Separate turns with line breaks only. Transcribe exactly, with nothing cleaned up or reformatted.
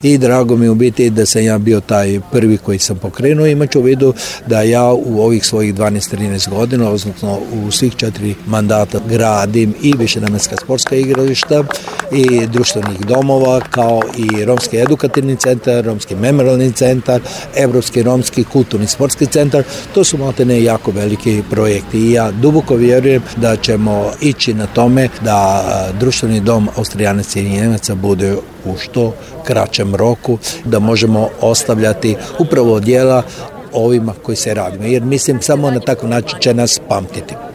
I drago mi u biti da sam ja bio taj prvi koji sam pokrenuo. Imaću u vidu da ja u ovih svojih dvanaest trinaest godina, odnosno u svih četiri mandata gradim i višenamenska sportska igrališta i društvenih domova, kao i romski edukativni centar, romski memorialni centar, evropski romski kulturni sportski centar. To su maltene jako veliki projekti i ja duboko vjerujem da ćemo ići na tome da društveni dom Austrijanaca i Njemaca bude u što kraćem roku, da možemo ostavljati upravo djela ovima koji se radimo, jer mislim samo na takav način će nas pamtiti.